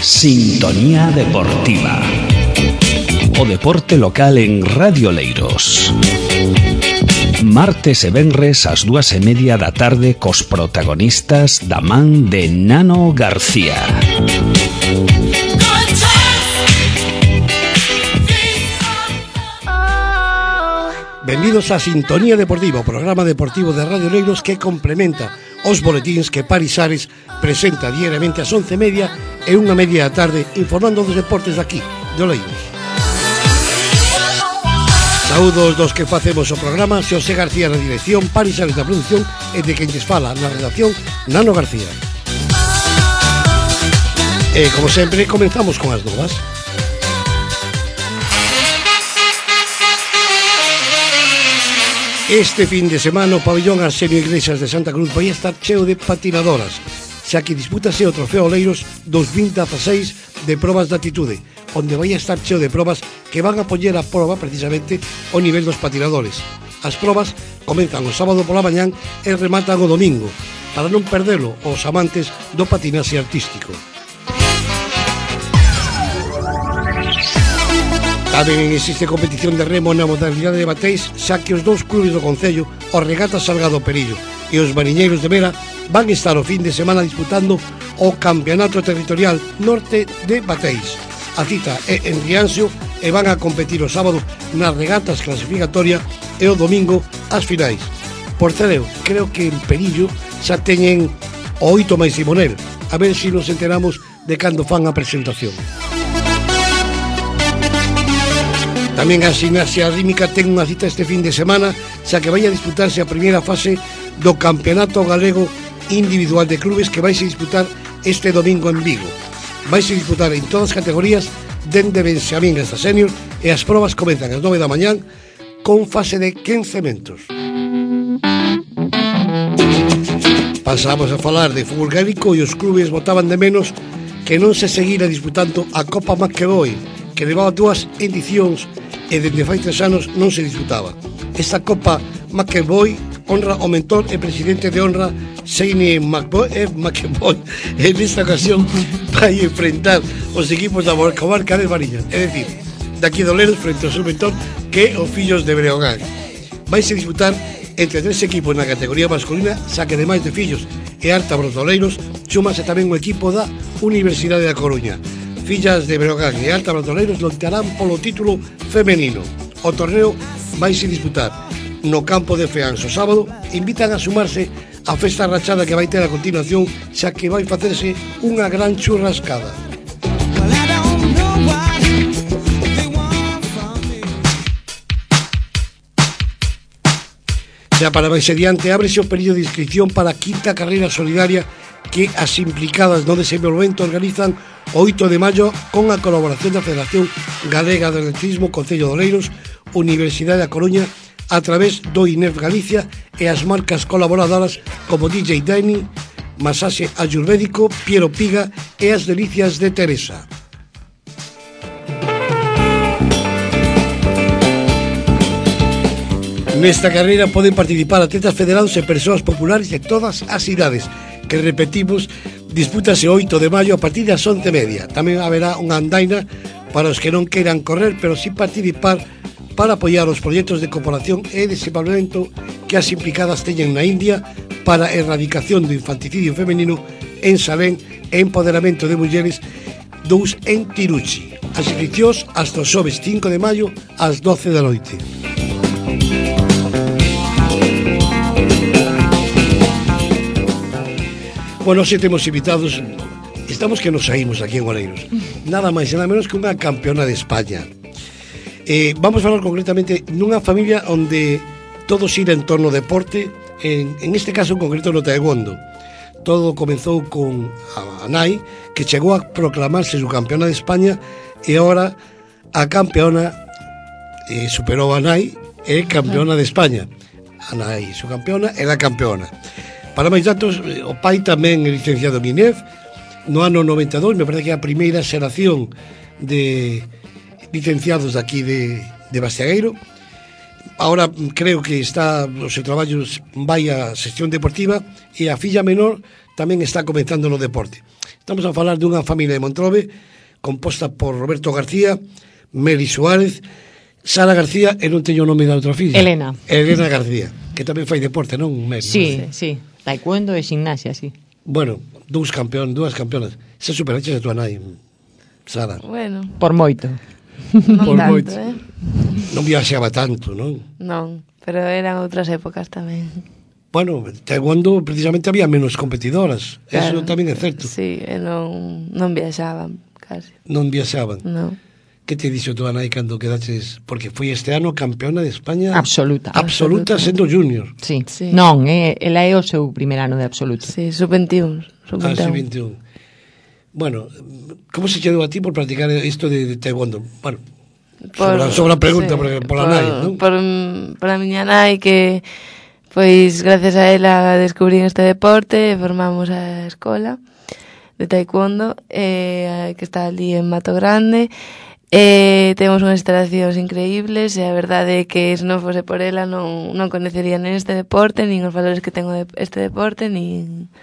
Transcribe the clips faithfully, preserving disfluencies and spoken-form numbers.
Sintonía Deportiva. O deporte local en Radio Oleiros. Martes e venres ás dúas e media da tarde cos protagonistas da man de Nano García. Benvidos a Sintonía Deportiva, o programa deportivo de Radio Oleiros que complementa os boletíns que Paris Ares presenta diariamente ás once e media e unha media da tarde informando dos deportes daqui, de Oleiros. Saúdos dos que facemos o programa, Xosé García na dirección, Paris Ares na produción e de quen lles fala na redacción, Nano García. E, como sempre, comenzamos con as novas. Este fin de semana o pabellón Arsenio Iglesias de Santa Cruz vai estar cheo de patinadoras, xa que dispútase o Trofeo Oleiros dos mil dieciséis de probas de atitude, onde vai estar cheo de probas que van a poñer a proba precisamente o nivel dos patinadores. As probas comenzan o sábado pola mañán e rematan o domingo, para non perdelo os amantes do patinaxe artístico. Tamén existe competición de remo na modalidade de bateis, xa que os dous clubes do concello, os Regatas Salgado Perillo e os Mariñeiros de Vera, van estar o fin de semana disputando o Campeonato Territorial Norte de Bateis. A cita é en Rianxo e van a competir o sábado nas regatas clasificatoria e o domingo as finais. Por cereo, creo que en Perillo xa teñen o oito máis Simonel, a ver se nos enteramos de cando fan a presentación. Tamén a Gimnasia Rítmica ten unha cita este fin de semana, xa que vai a disputarse a primeira fase do Campeonato Galego Individual de Clubes que vai se disputar este domingo en Vigo. Vai se disputar en todas as categorías, dende Benxamín hasta Senior, e as probas comenzan ás nove da mañán con fase de quince metros. Pasamos a falar de fútbol gaélico e os clubes botaban de menos que non se seguira disputando a Copa McEvoy, que levaba dúas edicións e dende fai tres anos non se disputaba. Esta Copa McEvoy honra o mentor e presidente de honra Shane McEvoy, eh, McEvoy en esta ocasión vai enfrentar os equipos da comarca de Mariñas, é dicir, daqui de Oleiros frente ao seu mentor que os Fillos de Breogán. Vai se disputar entre tres equipos na categoría masculina, xa que ademais de Fillos e Ártabros de Oleiros chúmase tamén o equipo da Universidade da Coruña. Fillas de Breogán e Ártabros de Oleiros loitarán polo título femenino. O torneo vai se disputar no campo de Feans o sábado. Invitan a sumarse a festa rachada que vai ter a continuación, xa que vai facerse unha gran churrascada. Xa para máis adiante ábrese o período de inscripción para a quinta carreira solidaria que as implicadas no desenvolvemento organizan o oito de maio con a colaboración da Federación Galega de Atletismo, Concello de Oleiros, Universidade da Coruña, a través do I N E F Galicia e as marcas colaboradoras como D J Dani, Masaxe Ayurvédico, Piero Piga e as Delicias de Teresa. Nesta carreira poden participar atletas federados e persoas populares de todas as idades, que repetimos, dispútase o oito de maio a partir das once e media. Tamén haberá unha andaina para os que non queiran correr, pero sí participar para apoiar os proxectos de cooperación e desenvolvemento que as implicadas teñen na India para a erradicación do infanticidio femenino en Salén e empoderamento de mulleres dous en Tiruchi. As inscripcións hasta o xoves cinco de maio ás doce da noite. Bueno, se temos invitados, estamos que nos saímos aquí en Oleiros. Nada máis e nada menos que unha campeona de España. Eh, vamos a falar concretamente nunha familia onde todo xira en torno ao deporte, en, en este caso en concreto no taekwondo. Todo comezou con a nai, que chegou a proclamarse su campeona de España, e agora a campeona eh, superou a nai e campeona de España. A nai, su campeona, e a campeona. Para máis datos, o pai tamén é licenciado en I N E F. No ano noventa e dous, me parece que é a primeira xeración de licenciados aquí de, de Bastiagueiro. Ahora creo que está, os seus traballos vai a sección deportiva, e a filla menor tamén está comenzando no deporte. Estamos a falar dunha familia de Montrobe composta por Roberto García, Meri Suárez, Sara García e non teño o nome da outra filla. Elena. Elena García, que tamén fai deporte, non? Meri, Sí, non? sí. Taekwondo e gimnasia, sí. Bueno, dous campeón, dúas campeonas. Se superaches a tua nai, Sara. Bueno, Por moito. non Por tanto, moito. eh? Non viaxaba tanto, non? Non, pero eran outras épocas tamén. Bueno, taekwondo precisamente había menos competidoras. Eso Claro. tamén é certo. Sí, e non, non viaxaban, casi. Non viaxaban. Non. Que te dixo tua nai cando quedaches? Porque foi este ano campeona de España Absoluta. absoluta sendo junior. Sí. Sí. Non, é, ela é o seu primer ano de absoluto. Sí, sub veintiún. Sub Ah, sí, veintiún. veintiún. Bueno, como se quedou a ti por practicar isto de, de taekwondo? Bueno, sobra, sobra pregunta sí, por, por la por, nai, non? Por, por a miña nai que, pois, gracias a ela descubrín este deporte e formamos a escola de taekwondo eh, que está ali en Mato Grande. Eh, temos unhas instalacións increíbles e a verdade é que se non fose por ela non, non coñecería nin este deporte, nin os valores que tengo de este deporte, nin,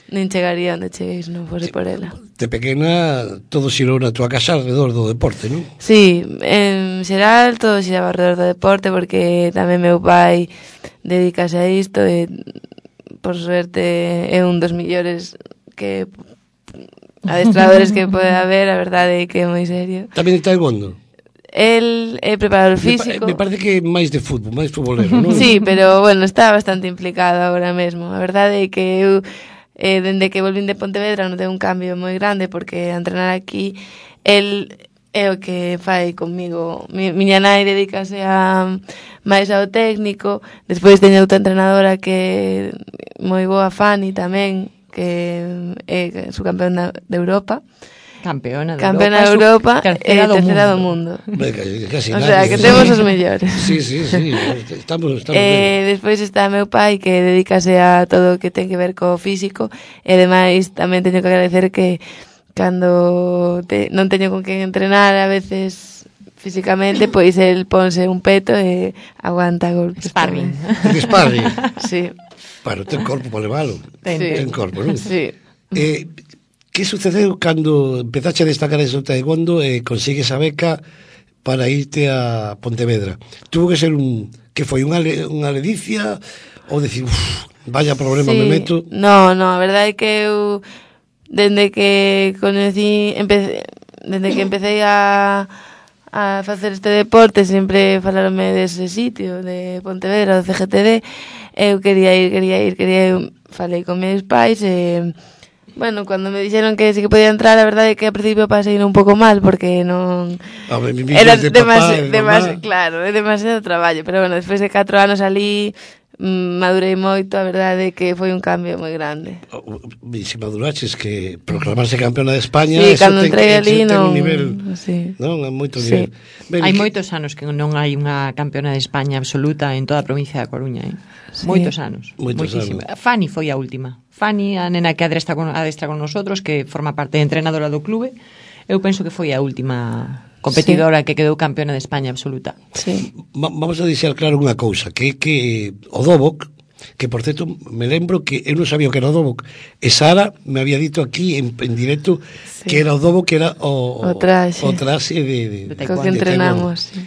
nin chegaría onde cheguei se non fose por ela. De pequena todo xirou na tua casa alrededor do deporte, non? Sí, en xeral todo xiraba alrededor do deporte porque tamén meu pai dedícase a isto e por suerte é un dos millores que adestradores que pode haber, a verdade é que é moi serio. Tamén de taekwondo? El é preparador Me, pa- físico. me parece que máis de fútbol, máis futbolero, non? Sí, pero bueno, está bastante implicado agora mesmo. A verdade é que eu eh, dende que volvín de Pontevedra notei un cambio moi grande porque a entrenar aquí el é o que fai comigo. Mi, miña nai dedícase a máis ao técnico, despois teño outra entrenadora que é moi boa, Fanny tamén, que é subcampeona de Europa. Campeona de Campeona de Europa, Europa tercera e do tercera do mundo. mundo. Venga, casi O nadie. sea, que temos os mellores. Sí, sí, sí, estamos, estamos Eh, ben. despois está meu pai que dedícase a todo o que ten que ver co físico e ademais tamén teño que agradecer que cando te, non teño con quen entrenar a veces físicamente, pois el ponse un peto e aguanta golpes. Sparring. tamén. De sparring. Sí. Bueno, ten corpo para levalo. Ten, Sí. Ten corpo, non? Sí. Eh, que sucedeu cando empezaste a destacar ese taekwondo e consigues a beca para irte a Pontevedra? Tuvo que ser un... que foi unha, le- unha ledicia ou decir, uff, vaya problema Sí. me meto? No, no, a verdade é que eu dende que conocí, empecé, dende que empecé a a facer este deporte sempre falaronme dese sitio de Pontevedra, do C G T D. Eu quería ir, quería ir, quería ir. Falei con meus pais e bueno, cando me dixeron que sí que podía entrar, a verdade é que ao principio pasei un pouco mal porque non A ver, mi era de demasi- papá, de demasi- mamá. claro, é demasiado traballo, pero bueno, despois de catro anos ali mm, madurei moito, a verdade é que foi un cambio moi grande. E se maduraches que proclamarse campeona de España, Sí, eso cando ten, entrei eso ali ten non... un nivel, Sí. non? É moito Sí. nivel. Ben, Hai que- moitos anos que non hai unha campeona de España absoluta en toda a provincia da Coruña, eh? Sí. Moitos anos. Moitos moitísimo. anos. Fanny foi a última. Fanny, a nena que adestra con, adestra con nosotros, que forma parte de entrenadora do clube, eu penso que foi a última competidora sí. que quedou campeona de España absoluta. Sí. Va- vamos a deixar claro unha cousa, que que o Doboc, que por certo me lembro que eu non sabía o que era o Doboc, e Sara me había dito aquí en, en directo Sí. que era o Doboc, que era o, O traxe. o traxe de, de, De Co taekwondo. que entrenamos. Sí.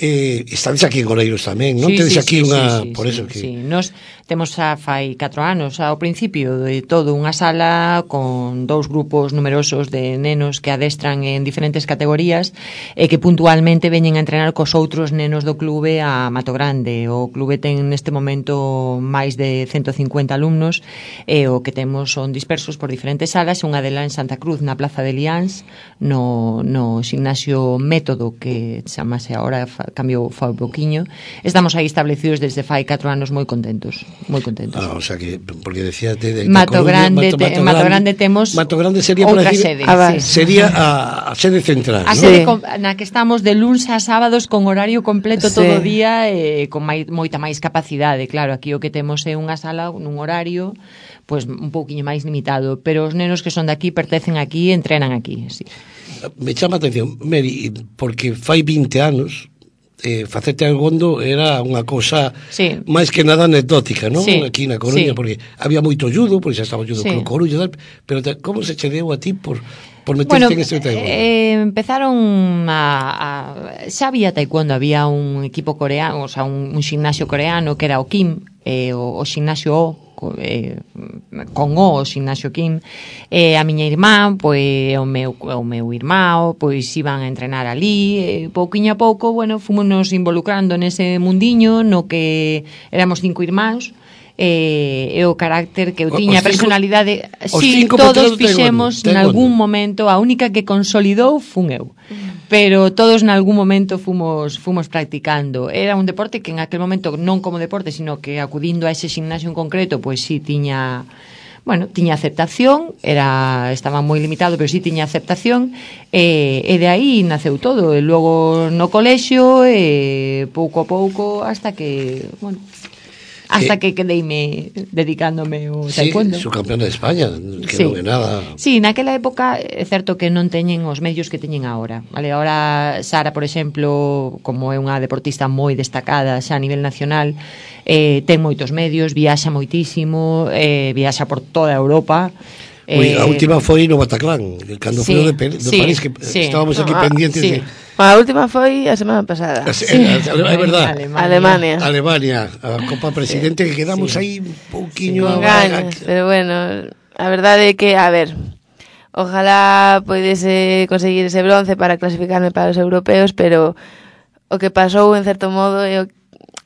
Eh, estades aquí en Oleiros tamén, non? Sí, Tedes sí, aquí sí, unha, sí, sí, por sí, eso que sí. Nos temos a fai catro anos ao principio de todo unha sala con dous grupos numerosos de nenos que adestran en diferentes categorías e que puntualmente veñen a entrenar cos outros nenos do clube a Mato Grande. O clube ten neste momento máis de ciento cincuenta alumnos e o que temos son dispersos por diferentes salas, unha delas en Santa Cruz, na Plaza de Liáns, no, no gimnasio Método, que chamase agora, cambiou fai pouquiño. Estamos aí establecidos desde fai catro anos moi contentos, moi contentos. Ah, o sea que, porque decía de, de Mato Coruña, Grande, te, Mato Grande temos Mato Grande sería outra para decir, sede, Ah, sí. sería a, a sede central, A ¿no? sede Sí. con, na que estamos de luns a sábados con horario completo Sí. todo o día e con mai, moita máis capacidade. Claro, aquí o que temos é unha sala nun horario pues un pouquiño máis limitado, pero os nenos que son de aquí pertencen aquí e entrenan aquí, sí. Me chama a atención, Mary, porque fai vinte anos eh, facer taekwondo era unha cousa sí. máis que nada anecdótica, non? Sí. Aquí na Coruña, sí. porque había moito judo, porque xa estaba judo sí. con Coruña, pero te, como se che deu a ti por, por meterte bueno, en este taekwondo? Eh, empezaron a, a... Xa había taekwondo, había un equipo coreano, o sea, un, un gimnasio coreano que era o Kim, eh, o, o gimnasio O, Eh, con o, o Ignacio Kim, eh, a miña irmá, pois o meu, o meu irmão, pois iban a entrenar ali, e pouquiño a pouco, bueno, fomos involucrando nese mundiño no que éramos cinco irmáns, e, e o carácter que eu tiña, a personalidade, si, sí, todos fixemos nalgún momento, a única que consolidou fun eu. Pero todos nalgún momento fomos fomos practicando. Era un deporte que en aquel momento non como deporte, sino que acudindo a ese gimnasio en concreto, pois si sí, tiña, bueno, tiña aceptación, era estaba moi limitado, pero si sí, tiña aceptación, e, e de aí naceu todo, e logo no colexio e pouco a pouco hasta que, bueno, hasta que quedeime dedicándome ao taekwondo. Sí, subcampeona de España, que sí. non é nada. Sí, naquela época é certo que non teñen os medios que teñen agora. Vale, agora Sara, por exemplo, como é unha deportista moi destacada xa a nivel nacional, eh, ten moitos medios, viaxa moitísimo, eh, viaxa por toda Europa. Ui, a última foi no Bataclan, cando sí, foi de, de sí, París, que sí. estábamos aquí no, pendientes sí. de... A última foi a semana pasada. Sí, sí. É verdad. Alemania. Alemania, a Copa Presidente, que quedamos sí. aí un pouquiño... Con ganas, pero bueno, a verdade é que, a ver, ojalá poidese conseguir ese bronce para clasificarme para os europeos, pero o que pasou, en certo modo, é o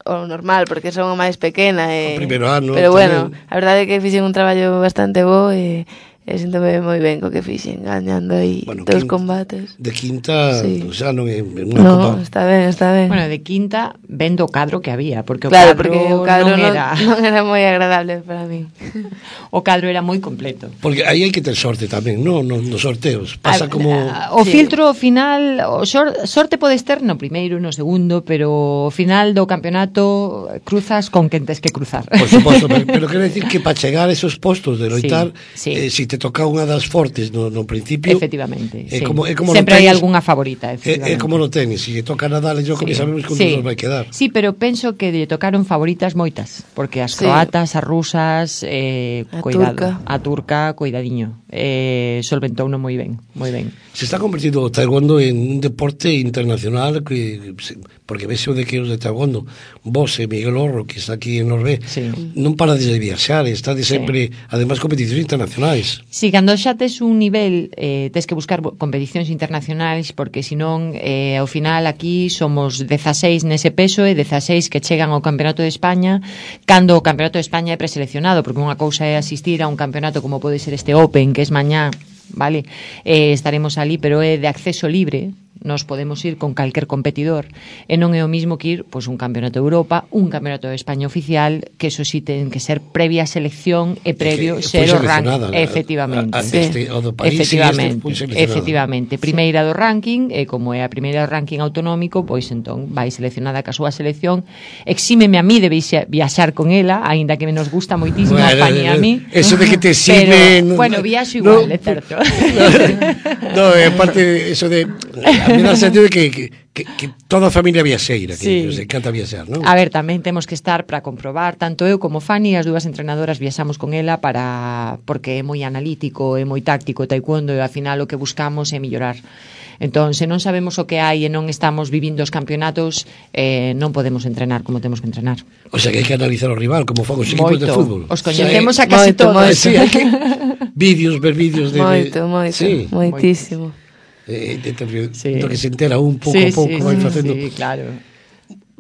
o normal, porque son a máis pequena e, o primeiro ano pero bueno, tamén. A verdade é que fixen un traballo bastante bo e e síntome moi ben co que fixen, gañando aí bueno, dos quinta, combates. De quinta, sí. xa non é unha no, copa. está ben, está ben. Bueno, de quinta vendo o cadro que había, porque o claro, cadro, porque o cadro non, non era non era moi agradable para mí. O cadro era moi completo. Porque aí hai que ter sorte tamén, no, no, nos sorteos. Pasa a, como o sí. filtro final, o sor, sorte podes ter no primeiro, no segundo, pero o final do campeonato cruzas con quen tes que cruzar. Por suposto, pero, pero quero decir que para chegar a esos postos de loitar, sí, sí. Eh, si te toca unha das fortes no, no principio, efectivamente, é sí. como, é como sempre hai tenis, algunha favorita, é, é como no tenis, si lle toca Nadal, yo sí. que sabemos que sí. nos vai quedar. Sí, pero penso que lle tocaron favoritas moitas, porque as sí. croatas, as rusas, eh, a cuidado, turca. a turca, cuidadiño, eh, solventouno moi ben, moi ben. Se está convertido o taekwondo en un deporte internacional que, porque ves o de que os de taekwondo, vos e Miguel Orro, que está aquí en Norvé, sí. non para de viaxar, está de sempre, sí. además, competicións internacionais. Si, cando xa tes un nivel, eh, tes que buscar competicións internacionais, porque senón, eh, ao final aquí somos dezaseis nese peso e dezaseis que chegan ao Campeonato de España, cando o Campeonato de España é preseleccionado, porque unha cousa é asistir a un campeonato como pode ser este Open, que es mañá, vale, eh, estaremos ali, pero é de acceso libre, nos podemos ir con calquer competidor e non é o mismo que ir pois, un campeonato de Europa, un campeonato de España oficial, que eso sí ten que ser previa selección e previo que, ser o ranking, efectivamente, a, a, este, o do país, efectivamente, este efectivamente, primeira do ranking e como é a primeira do ranking autonómico, pois entón vai seleccionada ca súa selección. Exímeme a mí de viaxar con ela, aínda que nos gusta moitísimo bueno, a Fani a mí. Eso de que te sirve, pero, no, bueno, viaxo igual, no, é certo. No, é no, parte eso de a mí dá sentido de que, que, que, que toda a familia viaxeira, que sí. nos encanta viaxar, non? A ver, tamén temos que estar para comprobar, tanto eu como Fani, as dúas entrenadoras viaxamos con ela para porque é moi analítico, é moi táctico o taekwondo e ao final o que buscamos é mellorar. Entón, se non sabemos o que hai e non estamos vivindo os campeonatos, eh, non podemos entrenar como temos que entrenar. O sea, que hai que analizar o rival, como fan os equipos de fútbol. Os coñecemos o sea, a casi moito, todos. Moito. Sí, hai que vídeos, ver vídeos de... Moito, moito, sí. moitísimo. Eh, de, de, sí. do que se entera un pouco sí, a pouco sí, vai sí, facendo. Sí, claro.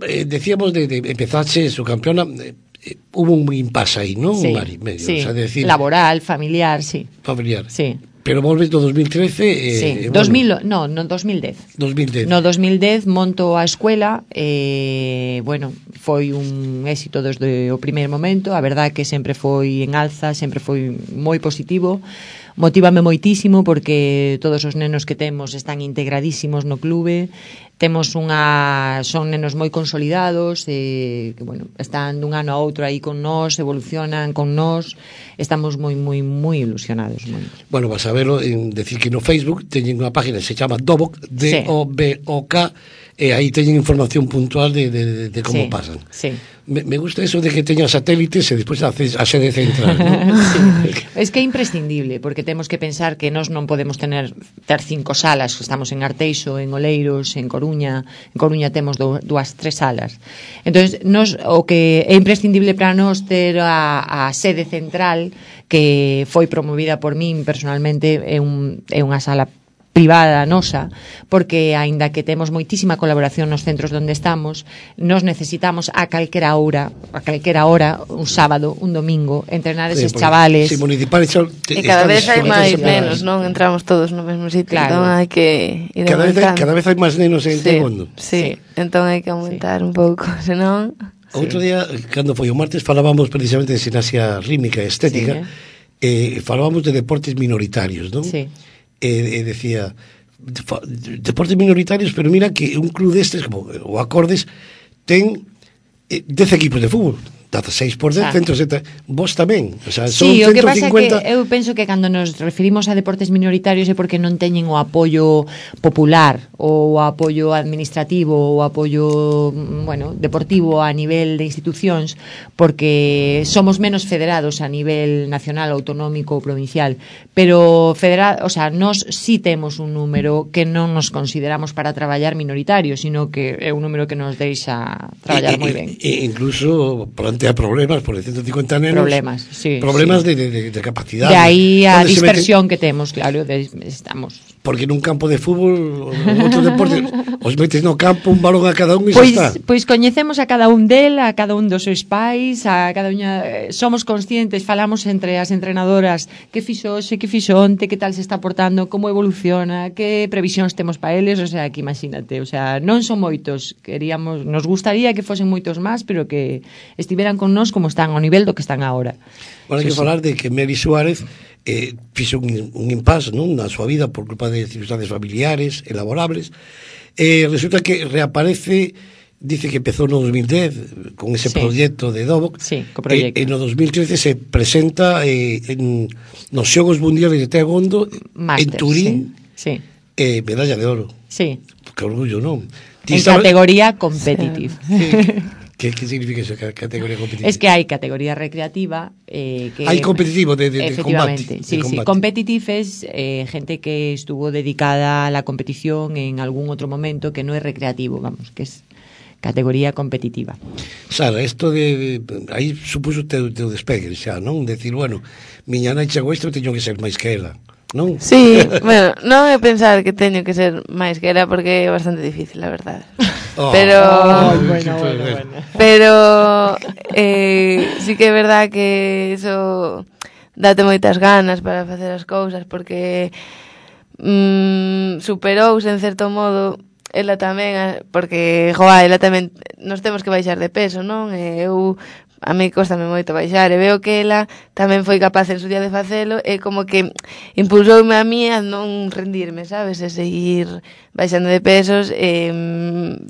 Eh, decíamos de, de empezache su campeona, eh, hubo un impasse aí, non? Sí, Mari, medio, sí. O sea, decir, laboral, familiar, sí. Familiar. Sí. Pero volves do dos mil trece eh, sí. eh, dos mil, bueno. no, no dos mil dez. dos mil dez. No dos mil dez monto a escuela e, eh, bueno, foi un éxito desde o primeiro momento, a verdade que sempre foi en alza, sempre foi moi positivo. motívame moitísimo porque todos os nenos que temos están integradísimos no clube, temos unha son nenos moi consolidados e que bueno, están dun ano a outro aí con nós, evolucionan con nós, estamos moi moi moi ilusionados. Moi. Bueno, vas a verlo en decir que no Facebook teñen unha página que se chama Doboc, D O B O K, e aí teñen información puntual de, de, de como sí, pasan. Sí. Me, me gusta eso de que teña satélites e despois a, a sede central, ¿no? Sí. Es que é imprescindible, porque temos que pensar que nós non podemos tener ter cinco salas, estamos en Arteixo, en Oleiros, en Coruña, en Coruña temos do, dúas, tres salas. Entonces, nos, o que é imprescindible para nós ter a, a sede central, que foi promovida por min personalmente, é, un, é unha sala privada nosa, porque aínda que temos moitísima colaboración nos centros onde estamos, nos necesitamos a calquera hora, a calquera hora, un sábado, un domingo, entrenar eses sí, chavales. Si municipales e cada vez hai máis nenos, non entramos todos no mesmo sitio, claro. Entón hai que ir cada vez, cada vez hai máis nenos en sí, Taekwondo. Sí, sí, entón hai que aumentar sí. un pouco, senón... Outro sí. día, cando foi o martes, falábamos precisamente de gimnasia rítmica e estética, sí, eh, falábamos de deportes minoritarios, non? Sí. E, e decía deportes minoritarios, pero mira que un club destes como o Acordes ten eh, dez equipos de fútbol, dezasseis por dez, ciento setenta, vos tamén, o sea, son sí, ciento cincuenta. O que pasa é que eu penso que cando nos referimos a deportes minoritarios é porque non teñen o apoio popular ou o apoio administrativo ou o apoio, bueno, deportivo a nivel de institucións, porque somos menos federados a nivel nacional, autonómico ou provincial, pero federal, o sea, nós sí temos un número que non nos consideramos para traballar minoritario, sino que é un número que nos deixa traballar moi ben. E incluso plantea problemas por ciento cincuenta nenos. Problemas, sí. Problemas sí. De, de, de capacidad. De aí a dispersión meten, que temos, claro, de, estamos. Porque nun campo de fútbol, outros deportes, os metes no campo un balón a cada un e pois, xa está. Pois coñecemos a cada un del, a cada un dos seus pais, a cada unha, somos conscientes, falamos entre as entrenadoras que fixo hoxe, que fixo onte, que tal se está portando, como evoluciona, que previsións temos para eles, o sea, que imagínate, o sea, non son moitos, queríamos, nos gustaría que fosen moitos máis, pero que estiveran con nós como están ao nivel do que están agora. Bueno, hai que sí, falar sí. de que Meli Suárez eh, fixo un, un impasse, non, na súa vida por culpa de circunstancias familiares elaborables. Eh, resulta que reaparece, dice que empezou no dos mil dez con ese sí. proxecto de Doboc. Sí, co proxecto. E, e no dos mil trece se presenta eh, en, nos Xogos Mundiales de Taekwondo Master, en Turín. Sí. Sí. Eh, medalla de oro. Sí. Que orgullo, non? En estaba... categoría competitive. Sí. ¿Qué, ¿Qué significa eso, categoría competitiva? Es que hai categoría recreativa eh, que hai competitivo de, de, de combate. Sí, de combate. Sí, competitive es eh, gente que estuvo dedicada a la competición en algún otro momento que no es recreativo, vamos, que es categoría competitiva. Sara, esto de, de aí supuso teu, teu despegue xa, non? Decir, bueno, miña nai chegou isto, teño que ser máis que ela, non? Sí, bueno, non é pensar que teño que ser máis que ela porque é bastante difícil, la verdade. Oh, pero oh, bueno, bueno, bueno. Pero eh, sí que é verdad que eso date moitas ganas para facer as cousas porque mm, superouse en certo modo ela tamén, porque joa, ela tamén nos temos que baixar de peso, non? E eu a mí cóstame moito baixar e veo que ela tamén foi capaz en su día de facelo e como que impulsoume a mí a non rendirme, sabes? E seguir baixando de pesos e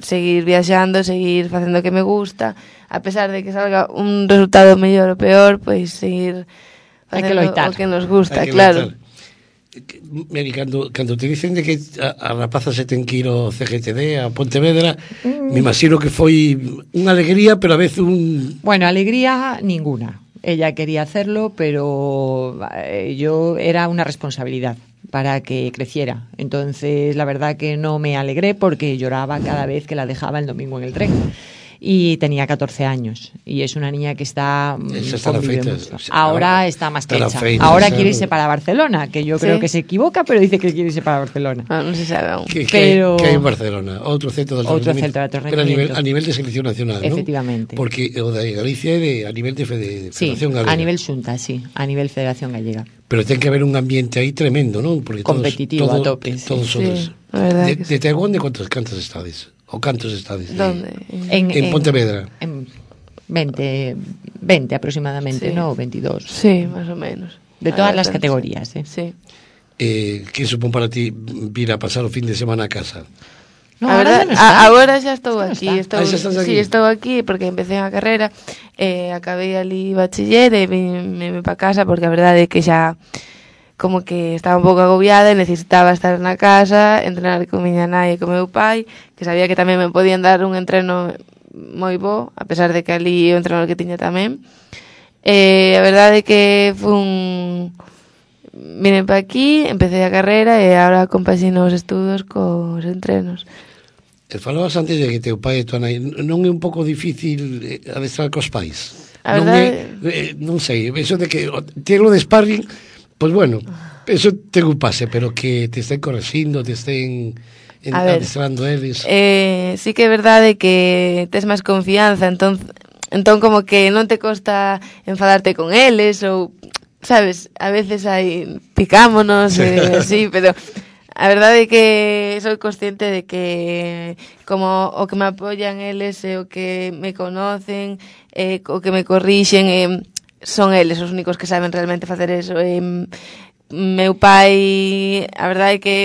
seguir viaxando, seguir facendo o que me gusta, a pesar de que salga un resultado mellor ou peor, pois seguir facendo o que nos gusta, claro. Meri, cando, cando te dicen de que a, a rapaza se ten que ir ao C G T D, a Pontevedra, mm. me imagino que foi unha alegría, pero a vez un... Bueno, alegría ninguna. Ella quería hacerlo, pero eh, yo era una responsabilidad para que creciera. Entonces, la verdad que no me alegré porque lloraba cada vez que la dejaba el domingo en el tren. Y tenía catorce años y es una niña que está, está feita, ahora ah, está más que hecha feita, ahora quiere irse para Barcelona, que yo ¿sí? creo que se equivoca, pero dice que quiere irse para Barcelona. Ah, no se sabe aún. Que, pero... que hai en Barcelona outro centro de outro centro de pero a nivel, a nivel de selección nacional, efectivamente, ¿no? Porque o de Galicia é de, a nivel de, de Federación sí, Galega, a nivel xunta, sí, a nivel Federación Gallega, pero ten que haber un ambiente aí tremendo, ¿no? Porque competitivo todos, a tope, todos, sí. todos sí, de, de Taekwondo, ¿cuántos cantos estades? ¿O cantos estades? ¿Dónde? En, en, en Pontevedra. En veinte, veinte aproximadamente, sí. ¿no? veintidós. Sí, más o menos. de todas as categorías, eh. Sí. Eh, que supón para ti vir a pasar o fin de semana a casa? No, a verdad, non a, agora xa estou Xa non aquí, está. estou, Ah, xa estás aquí? sí, estou aquí porque empecé a carreira, eh, acabei ali bachiller e vim para casa porque a verdade é que xa como que estaba un pouco agobiada e necesitaba estar na casa, entrenar con miña nai e con meu pai, que sabía que tamén me podían dar un entreno moi bo, a pesar de que ali o entreno que tiña tamén. Eh, a verdade é que foi un... Vine para aquí, empecé a carreira e agora compaxino os estudos cos entrenos. E falabas antes de que teu pai e tua nai, non é un pouco difícil adestrar cos pais? A non verdade... é, eh, non sei, eso de que telo de sparring, pois pues bueno, eso te ocupase, pero que te estén correxindo, te estén en, adestrando eles. Eh, sí que é verdade que tes máis confianza, entón, entón como que non te costa enfadarte con eles ou, sabes, a veces hai picámonos e eh, así, pero a verdade é que sou consciente de que como o que me apoyan eles e o que me conocen, eh, o que me corrixen, eh, son eles os únicos que saben realmente facer eso. Eh, meu pai, a verdade é que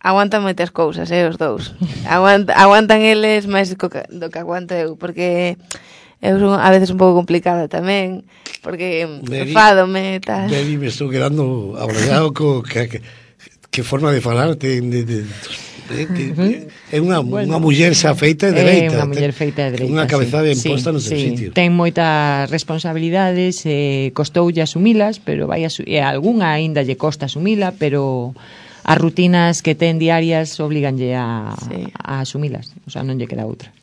aguantan moitas cousas, eh, os dous. Aguant, aguantan eles máis do que aguanto eu, porque eu son a veces un pouco complicada tamén, porque enfádome e tal. Mary, me estou quedando abrallado co que, que, que forma de falar de, de, de, de, de, de é unha bueno, unha muller xa feita e dereita. É unha muller feita e dereita. Unha cabeza ben sí, posta no seu sí. sitio. Ten moitas responsabilidades, eh, costoulle asumilas, pero vai asu e algunha aínda lle costa asumila, pero as rutinas que ten diarias obliganlle a, sí. a asumilas, o sea, non lle queda outra.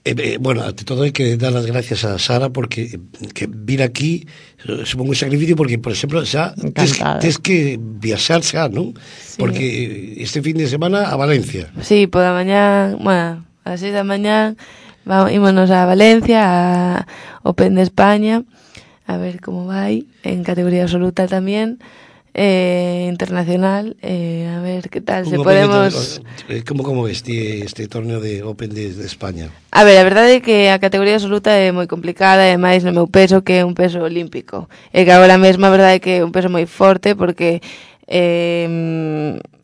Eh, eh, bueno, ante todo hai que dar as gracias a Sara porque que vir aquí supongo un sacrificio porque, por exemplo, xa tes, tes que viaxar xa, non? Sí. Porque este fin de semana a Valencia. Sí, pola mañá, bueno, a seis da mañá vamos, ímonos a Valencia, a Open de España, a ver como vai, en categoría absoluta tamén. Eh, internacional, eh, a ver que tal, se podemos... De, como como este, este torneo de Open de, de España? A ver, a verdade é que a categoría absoluta é moi complicada, e máis no meu peso, que é un peso olímpico. E que agora mesmo a verdade é que é un peso moi forte, porque eh,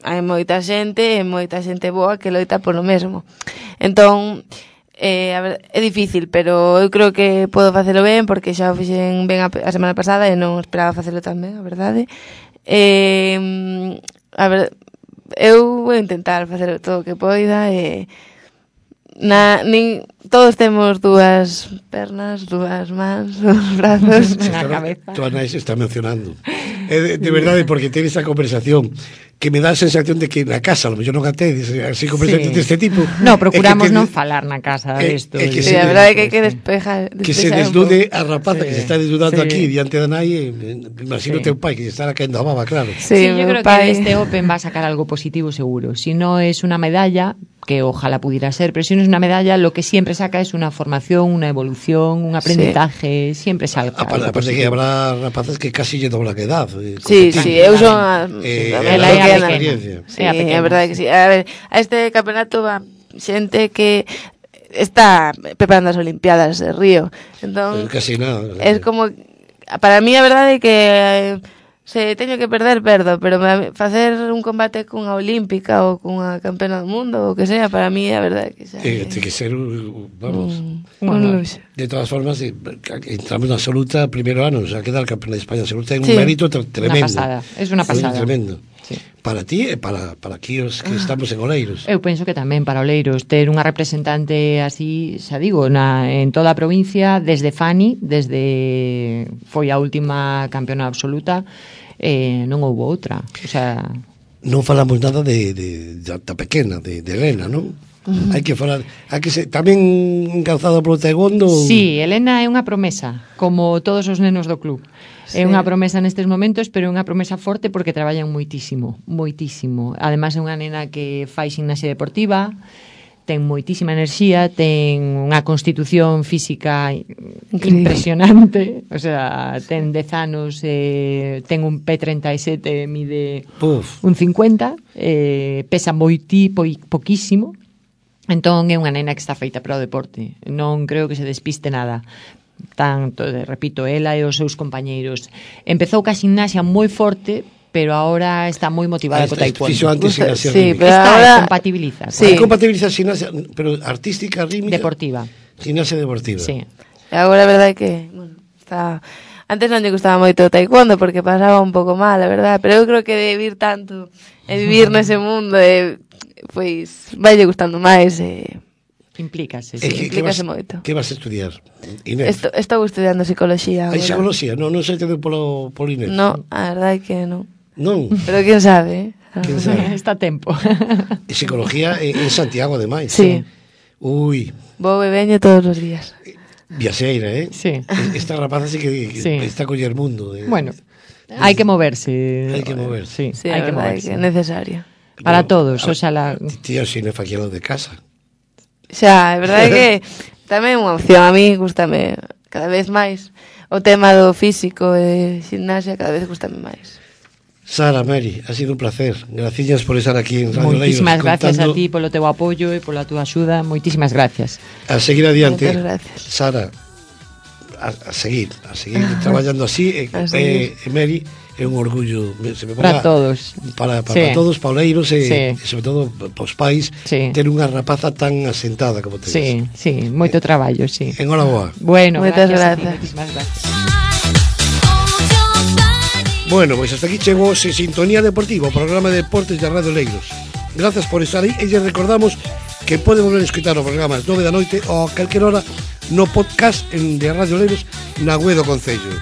hai moita xente, e moita xente boa que loita polo mesmo. Entón... Eh, a ver, é difícil, pero eu creo que podo facelo ben, porque xa o fixen ben a, a semana pasada e non esperaba facelo tan ben, a verdade. Eh, a ver, eu vou intentar facer todo o que poida e na, nin, todos temos dúas pernas, dúas mans, dúas brazos, na cabeza. Tu Anais está mencionando. É de, de verdade, porque ten esa conversación que me dá a sensación de que na casa, a lo mellor non a tedes, así conversación sí. deste tipo. No, procuramos que, non falar na casa desto. É que sí, se, a verdade é que hai que despejar, despejar que se desnude a rapaza sí. que se está desnudando sí. aquí diante da nai, imagino sí. teu pai que se estará caendo a baba, claro. Sí, sí yo creo pai... que este Open va a sacar algo positivo seguro. Si no es una medalla, que ojalá pudiera ser, pero si no es una medalla, lo que siempre saca es una formación, una evolución, un aprendizaje, sí. siempre salga. Aparte, aparte que habrá rapazas que casi lle dobla que edad. Eh, sí, sí, eu son a, eh, a, a, a, a, a experiencia. Sí, é a verdade que sí. A ver, a este campeonato va xente que está preparando as Olimpiadas de Río. Entón, eh, casi nada. Es como para mí a verdade é que eh, se teño que perder, perdo, pero facer un combate cunha olímpica ou cunha campeona do mundo ou que sea, para mí a verdade que xa é... Ten que ser, vamos... Un, un luxo. De todas formas, entramos na absoluta primeiro ano, xa queda el campeón de España absoluta, é un sí. mérito tremendo. Una pasada, es una pasada. Sí, tremendo. Sí. Para ti e para, para aquí os que estamos en Oleiros. Eu penso que tamén para Oleiros ter unha representante así, xa digo, na, en toda a provincia, desde Fani, desde foi a última campeona absoluta, eh, non houve outra. O sea, non falamos nada de, de, de da pequena, de, de Elena, non? Uh-huh. Hai que falar, hai que ser tamén encalzado polo taekwondo. Sí, Elena é unha promesa, como todos os nenos do club. Sí. É unha promesa nestes momentos, pero é unha promesa forte porque traballan moitísimo, moitísimo. Ademais é unha nena que fai gimnasia deportiva, ten moitísima enerxía, ten unha constitución física increíble, impresionante, o sea, ten dez anos, eh, ten un P treinta e sete, mide Uf. un cincuenta, eh, pesa moiti, po, poquísimo, entón é unha nena que está feita para o deporte, non creo que se despiste nada. tanto, repito, ela e os seus compañeiros. Empezou ca gimnasia moi forte, pero ahora está moi motivada co taekwondo. Fixo antes gimnasia Sí, rítmica. pero Está, ahora... compatibiliza. Sí. Compatibiliza gimnasia, pero artística, rítmica. Deportiva. Gimnasia deportiva. Sí. E agora a verdade é que, bueno, está... Antes non lle gustaba moito o taekwondo porque pasaba un pouco mal, a verdade, pero eu creo que de vivir tanto e vivir nese mundo, e, pois, vai lle gustando máis e... Implícase, E sí. que, que, vas, Implícase moito. que vas a estudiar, Inés? Estou, estou estudiando psicoloxía Hai agora. psicología? Non, non se te deu polo, polo Inés? No, a verdade é que non. Non? Pero quién sabe, eh? Quen sabe? Está a tempo. E psicología en, en Santiago, ademais. Sí. Ui, Vou e veño todos os días. viaxeira, eh? Sí. Esta rapaza sí que, que Sí. está a coller mundo. Eh? Bueno, hai que moverse. Hai que moverse. Sí, Sí, hai a que verdade é moverse. que é necesario. Para Bueno, todos, a ver, oxalá. Tío, si non faquelo de casa. Xa, é verdade que tamén é unha opción. A mí gustame cada vez máis o tema do físico e gimnasia, cada vez gustame máis. Sara, Mary, ha sido un placer. Gracias por estar aquí en Radio Leiros. Moitísimas gracias a contando- ti polo teu apoio e pola túa axuda. Moitísimas gracias. A seguir adiante. Moitas gracias. Sara, a, a seguir, a seguir traballando así. E, A seguir. e, e Mary, é un orgullo. Se me Para ponga- todos. Para, para Sí. todos, pauleiros e, Sí. e sobre todo para os pais, Sí. ter unha rapaza tan asentada como tedes. Sí, sí, moito traballo, sí. Enhoraboa. Bueno, Moitas gracias. a ti, grazas. moitísimas gracias. Bueno, pois hasta aquí chegou se Sintonía Deportiva, o programa de deportes de Radio Leiros. Gracias por estar aí e lles recordamos que poden volver a escutar o programa ás nove da noite ou a calquer hora no podcast en de Radio Leiros na web do Concello.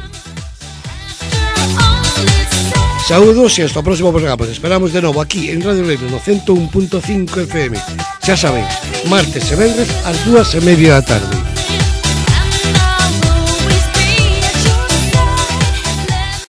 Saúdos e hasta o próximo programa. Os esperamos de novo aquí en Radio Leiros no ciento un punto cinco F M. Xa saben, martes e venres ás dúas e media da tarde.